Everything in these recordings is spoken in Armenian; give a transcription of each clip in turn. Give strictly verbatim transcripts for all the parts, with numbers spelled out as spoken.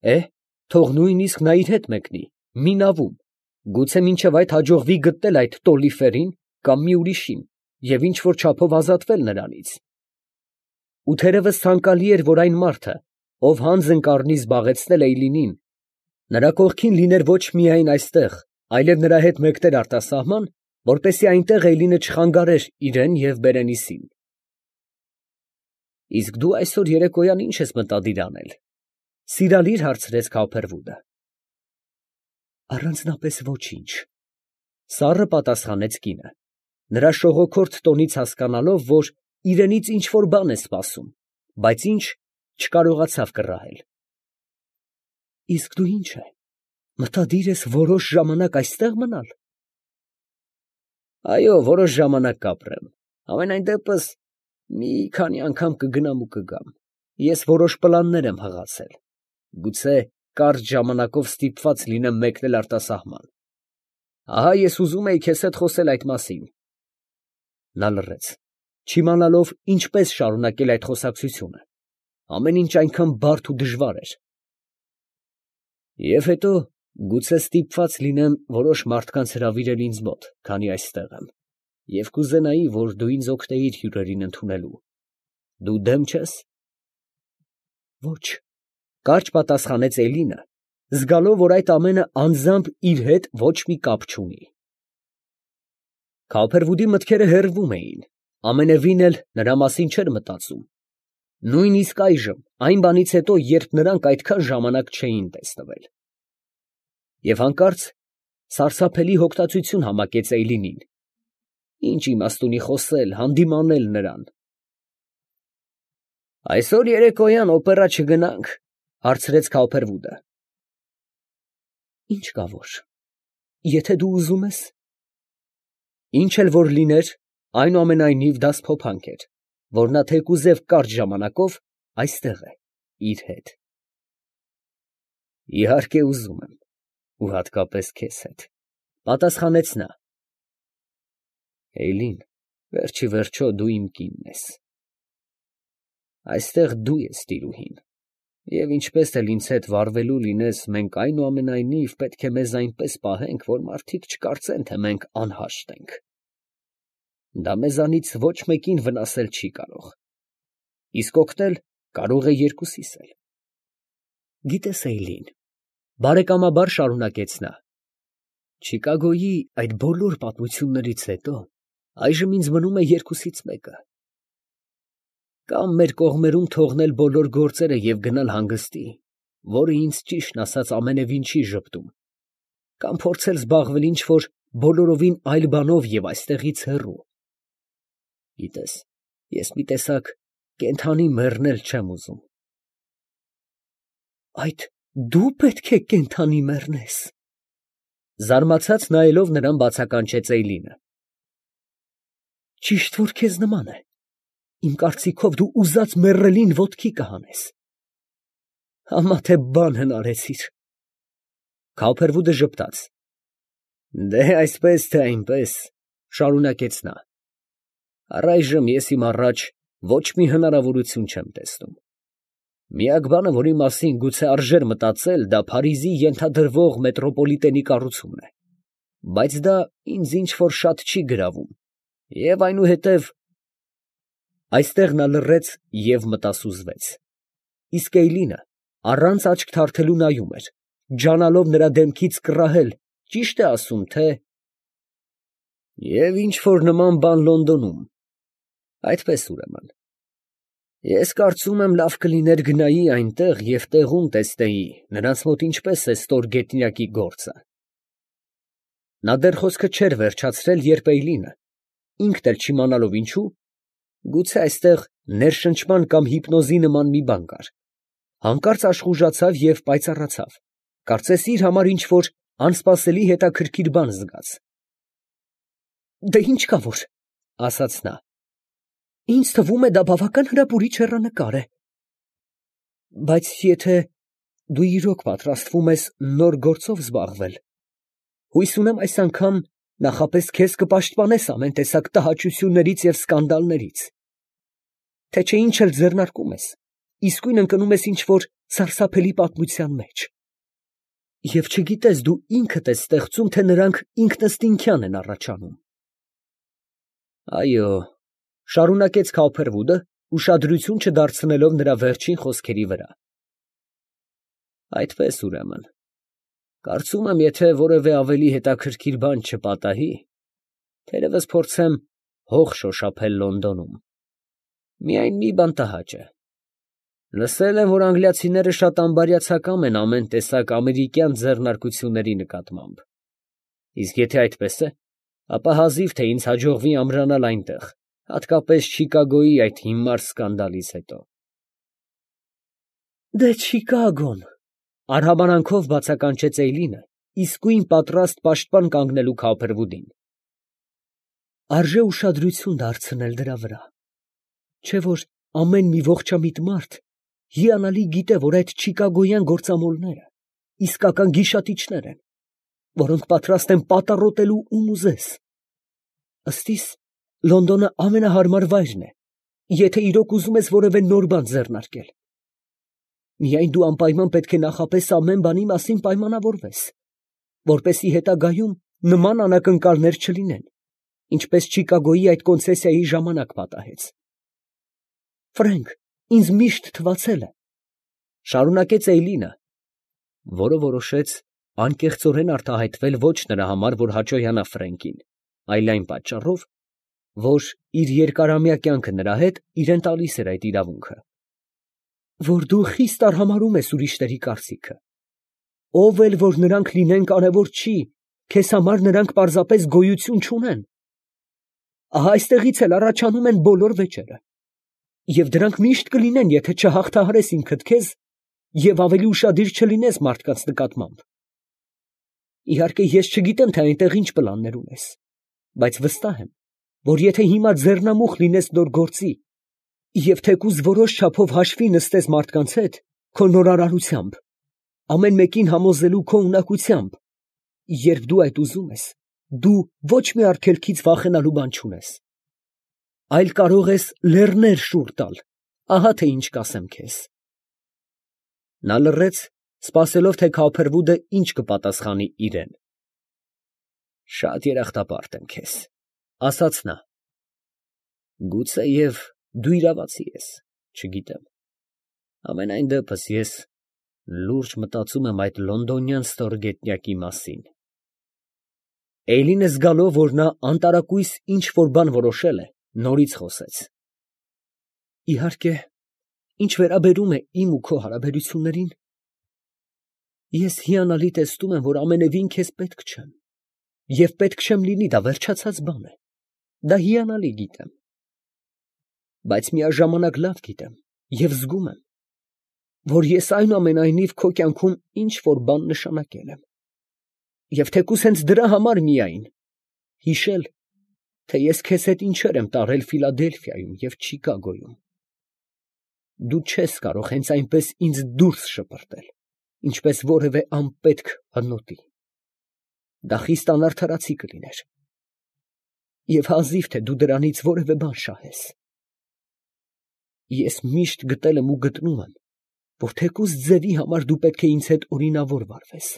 Է, թող նույնիսկ նա իր հետ մեկնի, մի նավում, գուցե մինչև այդ հաջողվի գտնել այդ Տոլիֆերին կամ մի ուրիշին և ինչ֊որ չափով ազատվել նրանից։ Ու թերևս ցանկալի էր, որ այն մարդը, ով հանձն կառնի զբաղեցնել Էյլինին, նրա կողքին լիներ ոչ միայն այստեղ, այլև նրա հետ մեկներ արտասահման, որպեսզի այնտեղ Էյլինը չխանգարեր իրան և Բերենիսին։ ֊ Իսկ դու այսօր երեկոյան ի՞նչ ես մտադիր անել, ֊ սիրալիր հարցրեց Քավոփրդուդը։ ֊ Առանձնապես ոչինչ, ֊ սառը պատասխանեց կինը, նրա շողոքորթ տոնից հասկանալով, որ իրենից ինչ֊որ բան է սպասում, բայց ինչ, չկարողացավ կռահել։ ֊ Իսկ դու ի՞նչ է, մտադիր ես որոշ ժամանակ այստեղ մնալ։ ֊ Այո, որոշ ժամանակ կապրեմ, համենայն դեպս մի քանի անգամ կգնամ ու կգամ. ես որոշ պլաններ եմ հղացել, գուցե կարճ ժամանակով ստիպված լինեմ մեկնել արտասահման. ահա ես ուզում էի քեզ հետ խոսել այդ մասին։ Նա լռեց, չիմանալով ինչպես շարունակել այդ խոսակցությունը, ամեն ինչ այնքան բարդ ու դժվար էր։ Եվ հետո գուցե ստիպված լինեմ որոշ մարդկանց հրավիրել ինձ մոտ, քանի այստեղ եմ, և կուզենայի, որ դու ինձ օգնեիր հյուրերին ընդունելու. դու դեմ չե՞ս։ Ոչ, ֊ կարճ պատասխանեց Էլինը, զգալով, որ այդ ամենը անձամբ իր հետ ոչ մի կապ չունի։ Քավոփրդուդի մտքերը հեռվում էին, ամենևին էլ նրա մասին չէր մտածում, նույնիսկ այժմ, այն բանից հետո, երբ նրանք այդքան ժամանակ չէին տեսնվել։ Եվ հանկարծ սարսափելի հոգտացություն համակեց Էյլինին. ի՞նչ իմաստ ունի խոսել, հանդիմանել նրան։ ֊ Այսօր երեկոյան օպերա չգնա՞նք, ֊ հարցրեց Քավոփրդուդը։ ֊ Ի՞նչ կա որ, եթե դու ուզում ես։ Ինչ էլ որ լիներ, այնուամենայնիվ դա սփոփանք էր, որ նա թեկուզև կարճ ժամանակով այստեղ է իր հետ։ ֊ Իհարկե ուզում եմ, ու հատկապես քեզ հետ, ֊ պատասխանեց նա։ ֊ Էյլին, վերջիվերջո դու իմ կինն ես։ Այստեղ դու ես տիրուհին, և ինչպես էլ ինձ հետ վարվելու լինես, մենք այնուամենայնիվ պետք է մեզ այնպես պահենք, որ մարդիկ չկարծեն, թե մենք անհաշտ ենք։ Դա մեզանից ոչ մեկին վնասել չի կարող, իսկ օգնել կարող է երկուսիս էլ։ Գիտես, Էյլին, ֊ բարեկամաբար շարունակեց նա, ֊ Չիկագոյի այդ բոլոր պատմություններից հետո այժմ ինձ մնում է երկուսից մեկը. կամ մեր կողմերում թողնել բոլոր գործերը և գնալ հանգստի, որը ինձ ճիշտն ասած ամենևին չի ժպտում, կամ փորձել զբաղվել ինչ֊որ բոլորովին այլ բանով և այստեղից հեռու։ Գիտես, ես մի տեսակ կենդանի մեռնել չեմ ուզում։ ֊ Այդ դու պետք է կենդանի մեռնես, ֊ զարմացած նայելով նրան բացականչեց Էյլինը։ ֊ Ճիշտ որ քեզ նման է, իմ կարծիքով դու ուզած մեռելին ոտքի կհանես։ Համա թե բան հնարեցիր։ Քավոփրդուդը ժպտաց։ ֊ Դե այսպես թե այնպես, ֊ շարունակեց նա, ֊ առայժմ ես իմ առաջ ոչ մի հնարավորություն չեմ տեսնում։ Միակ բանը, որի մասին գուցե արժեր մտածել, դա Փարիզի ենթադրվող մետրոպոլիտենի կառուցումն է, բայց դա ինձ ինչ֊որ շատ չի գրավում, և այնուհետև… Այստեղ նա լռեց և մտասուզվեց, իսկ Էյլինը առանց աչք թարթելու նայում էր, ջանալով նրա դեմքից կռահել, ճի՞շտ է ասում, թե… Եվ ինչ֊որ նման բան Լոնդոնում… Այդպես, ուրեմն… Ես կարծում եմ, լավ կլիներ գնայի այնտեղ և տեղում տեսնեի նրանց մոտ ինչպես է ստորգետնյակի գործը։ Նա դեռ խոսքը չէր վերջացրել, երբ Էյլինը, ինքն էլ չիմանալով ինչու, գուցե այստեղ ներշնչման կամ հիպնոզի նման մի բան կար, հանկարծ աշխուժացավ և պայծառացավ, կարծես իր համար ինչ֊որ անսպասելի հետաքրքիր բան զգաց։ ֊ Դե ի՞նչ կա որ, ֊ ասաց նա, ֊ ինձ թվում է, դա բավական հրապուրիչ հեռանկար է։ ֊ Բայց եթե դու իրոք պատրաստվում ես նոր գործով զբաղվել, հույս ունեմ այս անգամ նախապես քեզ կպաշտպանես ամեն տեսակ տհաճություններից և սկանդալներից, թե չէ ինչ էլ ձեռնարկում ես, իսկույն ընկնում ես ինչ֊որ սարսափելի պատմության մեջ։ Եվ չգիտես դու ինքդ ես ստեղծում, թե նրանք ինքնըստինքյան են առաջանում։ Այո, շարունակեց Քոփերվուդը, ուշադրություն չդարձնելով նրա վերջին խոսքերի վրա։ Այդպես ուրեմն, կարծում եմ, եթե որևէ ավելի հետաքրքիր բան չպատահի, թերևս փորձեմ հող շոշափել Լոնդոնում։ Միայն մի բան տհաճ է։ Լսել եմ, որ անգլիացիները շատ անբարյացակամ են ամեն տեսակ ամերիկյան ձեռնարկությունների նկատմամբ։ Իսկ եթե այդպես է, ապա հազիվ թե ինձ հաջողվի ամրանալ այնտեղ, հատկապես Չիկագոյի այդ հիմար սկանդալից հետո։ Դե Չիկագոն, արհամարանքով բացականչեց Էյլինը, իսկույն պատրաստ պաշտպան կանգնելու Քոփերվուդին։ Արժե ուշադրություն դարձնել դրա վրա, չէ՞ որ ամեն մի ողջամիտ մարդ հիանալի գիտե, որ այդ չիկագոյան գործամոլները իսկական գիշատիչներ են, որոնք պատրաստ են պատառոտելու ում ուզես։ Ըստ իս, Լոնդոնը ամենահարմար վայրն է, եթե իրոք ուզում ես որևէ նոր բան ձեռնարկել։ Միայն դու անպայման պետք է նախապես ամեն բանի մասին պայմանավորվես, որպեսզի հետագայում նման անակնկալներ չլինեն, ինչպես Չիկագոյի այդ կոնցեսիայի ժամանակ պատահեց։ Ֆրենկ, ինձ միշտ թվացել է, շարունակեց Էյլինը, որը որոշեց անկեղծորեն արտահայտվել ոչ նրա համար, որ հաճոյանա Ֆրենկին, այլ այն պատճառով, որ իր երկարամյա կյանքը նրա հետ իրեն տալիս էր այդ իրավունքը, որ դու խիստ արհամարհում ես ուրիշների կարծիքը, ով էլ որ նրանք լինեն կարևոր չի, քեզ համար նրանք պարզապես գոյություն չունեն։ Ահա այստեղից էլ առաջանում են բոլոր վեճերը, և դրանք միշտ կլինեն, եթե չհաղթահարես ինքդ քեզ և ավելի ուշադիր չլինես մարդկանց նկատմամբ։ Իհարկե, ես չգիտեմ, թե այնտեղ ինչ պլաններ ունես, բայց վստահ եմ, որ եթե հիմա ձեռնամուխ լինես նոր գործի և թեկուզ որոշ չափով հաշվի նստես մարդկանց հետ, քո նորարարությամբ, ամեն մեկին համոզելու քո ունակությամբ, երբ դու այդ ուզում ես, դու ոչ մի արգելքից վախենալու բան չունես, այլ կարող ես լեռներ շուռ տալ, ահա թե ինչ կասեմ քեզ։ Նա լռեց, սպասելով, թե Քոփերվուդը ինչ կպատասխանի իրեն։ Շատ երախտապարտ եմ քեզ, ասաց նա։ Գուցեև դու իրավացի ես, չգիտեմ։ Ամենայն դեպս ես լուրջ մտածում եմ այդ լոնդոնյան ստորգետնյակի մասին։ Էյլինը զգալով, որ նա անտարակույս ինչ֊որ բան որոշել է, նորից խոսեց։ Իհարկե, ինչ վերաբերում է իմ ու քո հարաբերություններին, ես հիանալի տեսնում եմ, որ ամենևին քեզ պետք չեմ, և պետք չեմ լինի, դա վերջացած բան է, դա հիանալի գիտեմ, բայց միաժամանակ լավ գիտեմ և զգում եմ, որ ես այնուամենայնիվ քո կյանքում ինչ֊որ բան նշանակել եմ, և թեկուզ հենց դրա համար միայն հիշել, թե ես քեզ հետ ինչեր եմ տարել Ֆիլադելֆիայում և Չիկագոյում։ Դու չես կարող հենց այնպես ինձ դուրս շպրտել, ինչպես որևէ անպետք հնոտի։ Դա խիստ անարդարացի կլիներ, և հազիվ թե դու դրանից որևէ բան շահես։ Ես միշտ գտել եմ ու գտնում եմ, որ թեկուզ ձևի համար դու պետք է ինձ հետ օրինավոր վարվես։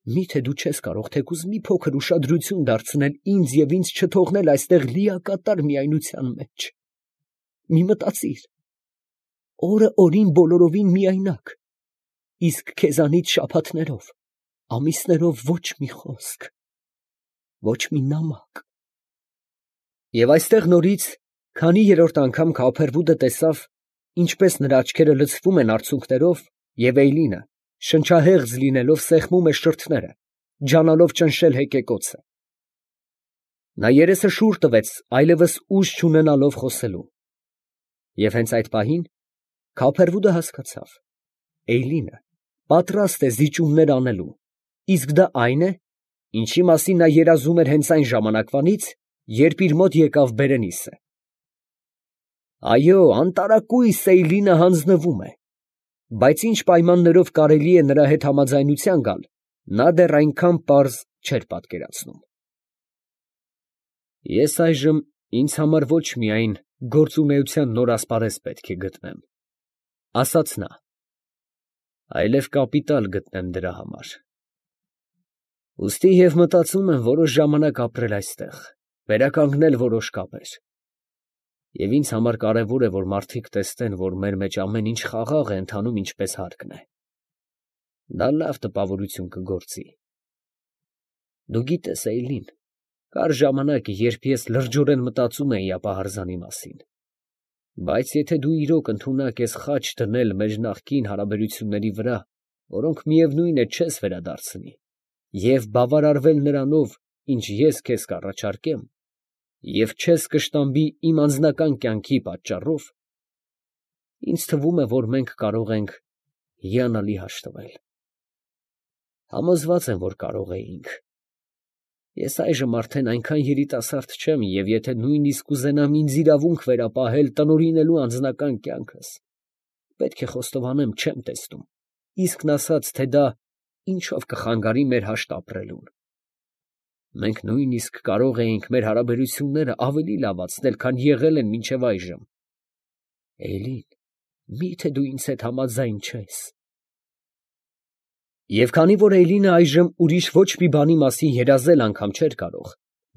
Մի՞թե դու չես կարող թեկուզ մի փոքր ուշադրություն դարձնել ինձ և ինձ չթողնել այստեղ լիակատար միայնության մեջ։ Մի մտածիր, օրը օրին բոլորովին միայնակ, իսկ քեզանից շաբաթներով, ամիսներով ոչ մի խոսք, ոչ մի նամակ։ Եվ այստեղ նորից քանի երրորդ անգամ Քոփերվուդը տեսավ, ինչպես նրա աչքերը լցվում են արցունքներով, և Էյլինը, շնչահեղձ լինելով, սեղմում է շրթները, ջանալով ճնշել հեկեկոցը։ Նա երեսը շուռ տվեց, այլևս ուժ չունենալով խոսելու։ Եվ հենց այդ պահին Քոփերվուդը հասկացավ. Էյլինը պատրաստ է զիջումներ անելու, իսկ դա այն է, ինչի մասին նա երազում էր հենց այն ժամանակվանից, երբ իր մոտ եկավ Բերենիսը։ Այո, անտարակույս Էյլինը հանձնվում է, բայց ինչ պայմաններով կարելի է նրա հետ համաձայնության գալ, նա դեռ այնքան պարզ չէր պատկերացնում։ Ես այժմ ինձ համար ոչ միայն գործունեության նոր ասպարեզ պետք է գտնեմ, ասաց նա, այլև կապիտալ գտնեմ դրա համար։ Ուստի և մտածում եմ որոշ ժամանակ ապրել այստեղ, վերականգնել որոշ կապեր։ Եվ ինձ համար կարևոր է, որ մարդիկ տեսնեն, որ մեր մեջ ամեն ինչ խաղաղ է ընթանում ինչպես հարկն է։ Դա լավ տպավորություն կգործի։ Դու գիտես, Էյլին, կար ժամանակ, երբ ես լրջորեն մտածում էի ապահարզանի մասին։ Բայց եթե դու իրոք ընդունակ ես խաչ դնել մեր նախկին հարաբերությունների վրա, որոնք միևնույն է չես վերադարձնի, և բավարարվել նրանով, ինչ ես քեզ կառաջարկեմ, և չես կշտամբի իմ անձնական կյանքի պատճառով, ինձ թվում է, որ մենք կարող ենք հիանալի հաշտվել։ Համոզված եմ, որ կարող էինք։ Ես այժմ արդեն այնքան երիտասարդ չեմ, և եթե նույնիսկ կուզենամ ինձ իրավունք վերապահել տնօրինելու անձնական կյանքս, պետք է խոստովանեմ, չեմ տեսնում, իսկն ասած, թե դա ինչով կխանգարի մեր հաշտ ապրելուն։ Մենք նույնիսկ կարող էինք մեր հարաբերությունները ավելի լավացնել, քան եղել են մինչև այժմ։ Էյլին, մի՞թե դու ինձ հետ համաձայն չես։ Եվ քանի որ Էյլինը այժմ ուրիշ ոչ մի բանի մասին երազել անգամ չէր կարող,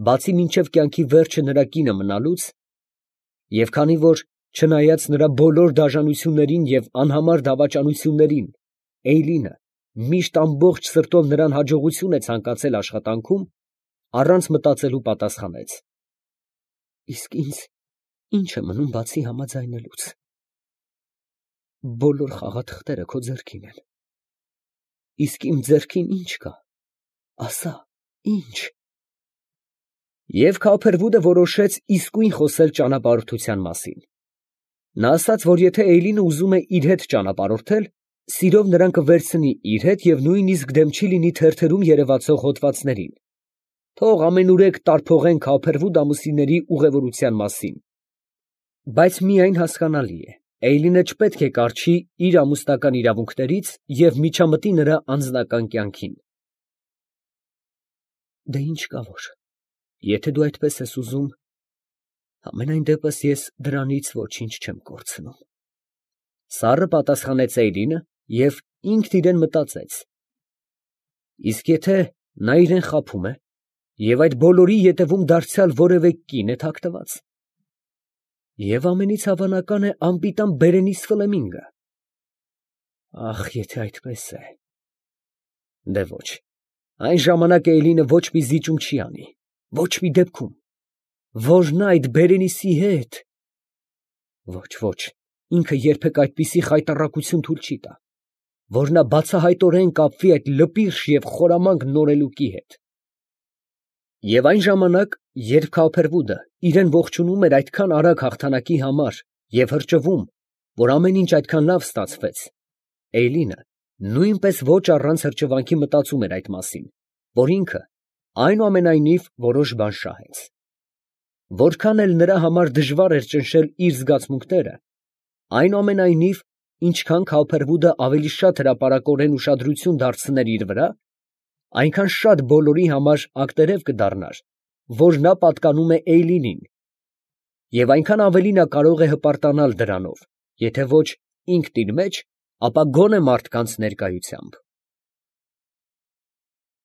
բացի մինչև կյանքի վերջը նրա կինը մնալուց, և քանի որ, չնայած նրա բոլոր դաժանություններին և անհամար դավաճանություններին, Էյլինը միշտ ամբողջ սրտով նրան հաջողություն է ցանկացել աշխատանքում, առանց մտածելու պատասխանեց. Իսկ ինձ ի՞նչ է մնում բացի համաձայնելուց։ Բոլոր խաղաթղթերը քո ձեռքին են։ Իսկ իմ ձեռքին ի՞նչ կա, ասա, ի՞նչ։ Եվ Քոփերվուդը որոշեց իսկույն խոսել ճանապարհորդության մասին։ Նա ասաց, որ եթե Էյլինը ուզում է իր հետ ճանապարհորդել, սիրով նրան կվերցնի իր հետ և նույնիսկ դեմ չի լինի թերթերում երևացող հոդվածներին, թող ամենուրեք տարփողեն Քոփերվուդ ամուսինների ուղևորության մասին։ Բայց միայն հասկանալի է, Էյլինը չպետք է կառչի իր ամուսնական իրավունքներից և միջամտի նրա անձնական կյանքին։ Դե ինչ կա որ, եթե դու այդպես ես ուզում, համենայն դեպս ես դրանից ոչինչ չեմ կորցնում։ Սառը պատասխանեց Էյլինը և ինքն իրան մտածեց. իսկ եթե նա իրան խաբում է և այդ բոլորի ետևում դարձյալ որևէ կին է թաքնված, և ամենից հավանական է անպիտան Բերենիս Ֆլեմինգը։ Ախ, եթե այդպես է… Դե ոչ, այն ժամանակ Էյլինը ոչ մի զիջում չի անի, ոչ մի դեպքում, որ նա այդ Բերենիսի հետ… Ոչ, ոչ, ինքը երբեք այդպիսի խայտառակություն թույլ չի տա, որ նա բացահայտորեն կապվի այդ լպիրշ և խորամանկ նորելուկի հետ։ Եվ այն ժամանակ, երբ Քոփերվուդը իրան ողջունում էր այդքան արագ հաղթանակի համար և հրճվում, որ ամեն ինչ այդքան լավ ստացվեց, Էյլինը նույնպես ոչ առանց հրճվանքի մտածում էր այդ մասին, որ ինքը այնուամենայնիվ որոշ բան շահեց։ Որքան էլ նրա համար դժվար էր ճնշել իր զգացմունքները, այնուամենայնիվ, ինչքան Քոփերվուդը ավելի շատ հրապարակորեն ուշադրություն դարձներ իր վրա, այնքան շատ բոլորի համար ակտերև կդառնար, որ նա պատկանում է Էյլինին, և այնքան ավելի նա կարող է հպարտանալ դրանով, եթե ոչ ինքն իր մեջ, ապա գոնե մարդկանց ներկայությամբ։